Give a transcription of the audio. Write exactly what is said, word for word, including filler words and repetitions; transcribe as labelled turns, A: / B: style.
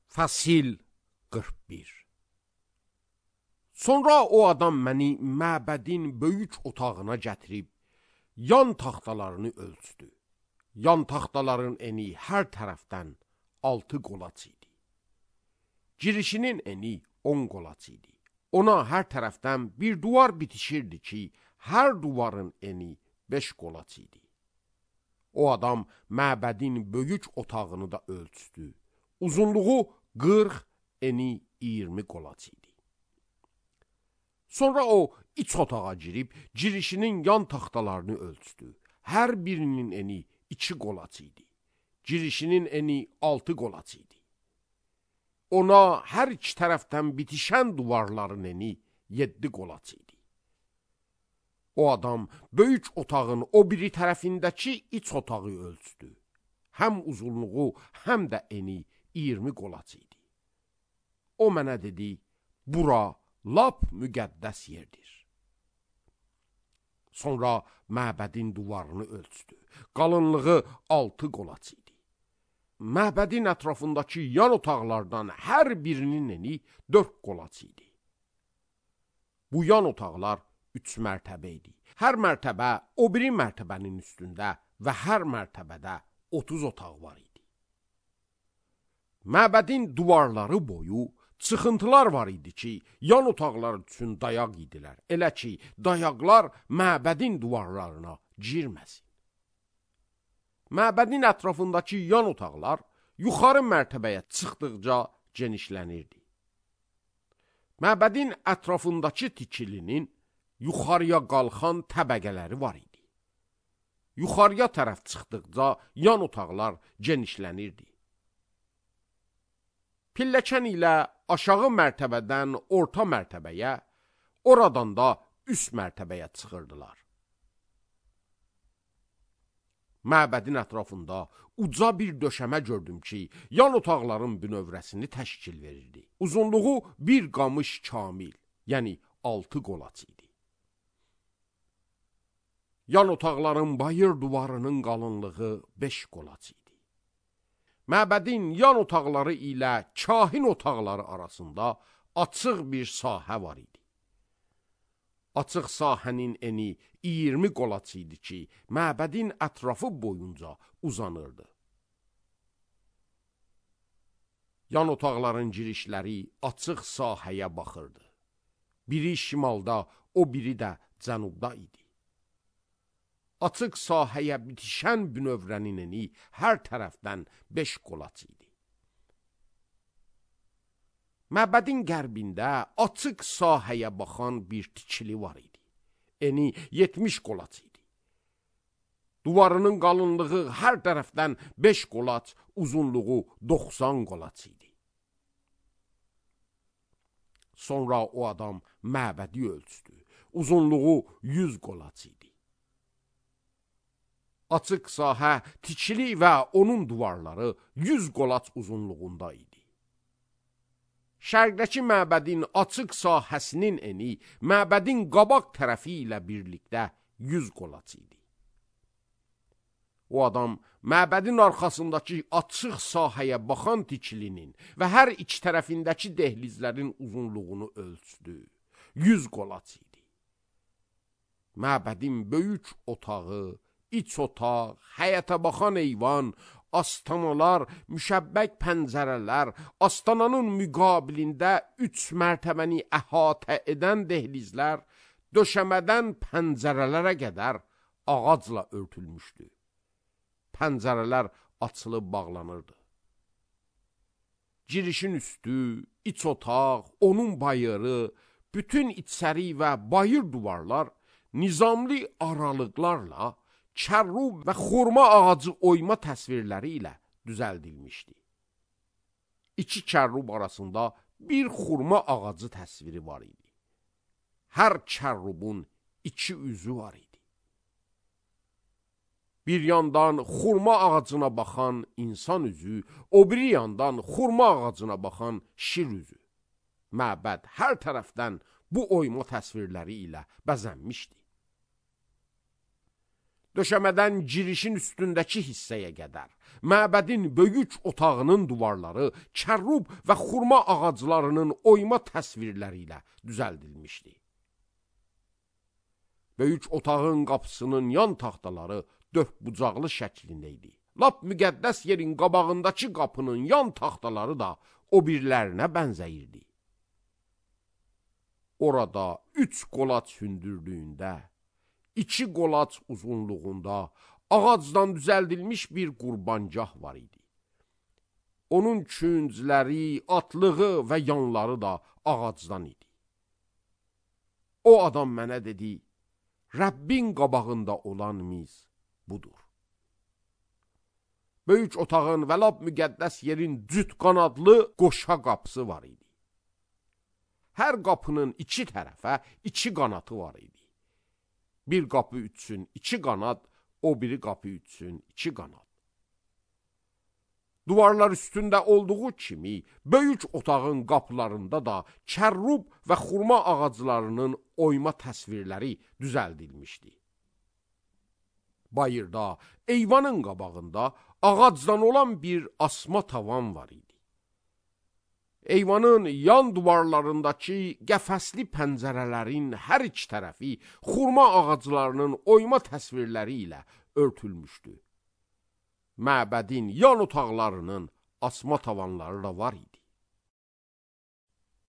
A: Fəsil qırx bir. Sonra o adam məni məbədin böyük otağına gətirib, yan taxtalarını ölçdü. Yan taxtaların eni hər tərəfdən altı qolaç idi. Girişinin eni on qolaç idi. Ona hər tərəfdən bir duvar bitişirdi ki, hər duvarın eni beş qolaç idi. O adam məbədin böyük otağını da ölçdü. Uzunluğu qırx, eni iyirmi qolaç idi. Sonra o iç otağa girib, girişinin yan taxtalarını ölçdü. Hər birinin eni iki qolaç idi. Girişinin eni altı qolaç idi. Ona hər iki tərəfdən bitişən duvarların eni yeddi qolaç idi. O adam böyük otağın o biri tərəfindəki iç otağı ölçdü. Həm uzunluğu, həm də eni iyirmi qolaç idi. O mənə dedi, bura lap müqəddəs yerdir. Sonra məbədin duvarını ölçdü. Qalınlığı altı qolaç idi. Məbədin ətrafındakı yan otaqlardan hər birinin eni dörd qolaç idi. Bu yan otaqlar üç mərtəbə idi. Hər mərtəbə o biri mərtəbənin üstündə və hər mərtəbədə otuz otaq var idi. Məbədin duvarları boyu çıxıntılar var idi ki, yan otaqlar üçün dayaq idilər. Elə ki, dayaqlar məbədin duvarlarına girməsin. Məbədin ətrafındakı yan otaqlar yuxarı mərtəbəyə çıxdıqca genişlənirdi. Məbədin ətrafındakı tikilinin yuxarıya qalxan təbəqələri var idi. Yuxarıya tərəf çıxdıqca yan otaqlar genişlənirdi. Pilləkən ilə aşağı mərtəbədən orta mərtəbəyə, oradan da üst mərtəbəyə çıxırdılar. Məbədin ətrafında uca bir döşəmə gördüm ki, yan otaqların bünövrəsini təşkil verirdi. Uzunluğu bir qamış kamil, yəni altı qolaç idi. Yan otaqların bayır duvarının qalınlığı beş qolaç idi. Məbədin yan otaqları ilə kahin otaqları arasında açıq bir sahə var idi. Açıq sahənin eni iyirmi qolaç idi ki, məbədin ətrafı boyunca uzanırdı. Yan otaqların girişləri açıq sahəyə baxırdı. Biri şimalda, o biri də cənubda idi. Açıq sahəyə bitişən bünövrənin eni hər tərəfdən beş qolaç idi. Məbədin qərbində açıq sahəyə baxan bir tikili var idi. Eni yetmiş qolaç idi. Duvarının qalınlığı hər tərəfdən beş qolaç, uzunluğu doxsan qolaç idi. Sonra o adam məbədi ölçdü. Uzunluğu yüz qolaç idi. Açıq sahə, tikili və onun duvarları yüz qolaç uzunluğunda idi. Şərqdəki məbədin açıq sahəsinin eni məbədin qabaq tərəfi ilə birlikdə yüz qolaç idi. O adam məbədin arxasındakı açıq sahəyə baxan tikilinin və hər iki tərəfindəki dehlizlərin uzunluğunu ölçdü. yüz qolaç idi. Məbədin böyük otağı, İç otaq, həyətə baxan eyvan, astanalar, müşəbbək pəncərələr, astananın müqabilində üç mərtəbəni əhatə edən dehlizlər, döşəmədən pəncərələrə qədər ağacla örtülmüşdü. Pəncərələr açılıb bağlanırdı. Girişin üstü, iç otaq, onun bayırı, bütün içəri və bayır duvarlar nizamlı aralıqlarla kərrub və xurma ağacı oyma təsvirləri ilə düzəldilmişdi. İki kərrub arasında bir xurma ağacı təsviri var idi. Hər kərrubun iki üzü var idi. Bir yandan xurma ağacına baxan insan üzü, o biri yandan xurma ağacına baxan şir üzü. Məbəd hər tərəfdən bu oyma təsvirləri ilə bəzənmişdi. Döşəmədən girişin üstündəki hissəyə qədər məbədin böyük otağının duvarları kərrub və xurma ağaclarının oyma təsvirləri ilə düzəldilmişdi. Böyük otağın qapısının yan taxtaları dördbucaqlı şəklində idi. Lap müqəddəs yerin qabağındakı qapının yan taxtaları da o birlərinə bənzəyirdi. Orada üç qolaç hündürlüyündə, iki qolaç uzunluğunda ağacdan düzəldilmiş bir qurbancah var idi. Onun küncləri, atlığı və yanları da ağacdan idi. O adam mənə dedi, Rəbbin qabağında olan miz budur. Böyük otağın və lap müqəddəs yerin cüt qanadlı qoşa qapısı var idi. Hər qapının iki tərəfə iki qanatı var idi. Bir qapı üçün iki qanat, o biri qapı üçün iki qanat. Duvarlar üstündə olduğu kimi, böyük otağın qapılarında da kərrub və xurma ağaclarının oyma təsvirləri düzəldilmişdi. Bayırda, eyvanın qabağında ağacdan olan bir asma tavan var idi. Eyvanın yan duvarlarındakı qəfəsli pəncərələrin hər iki tərəfi xurma ağaclarının oyma təsvirləri ilə örtülmüşdü. Məbədin yan otaqlarının asma tavanları da var idi.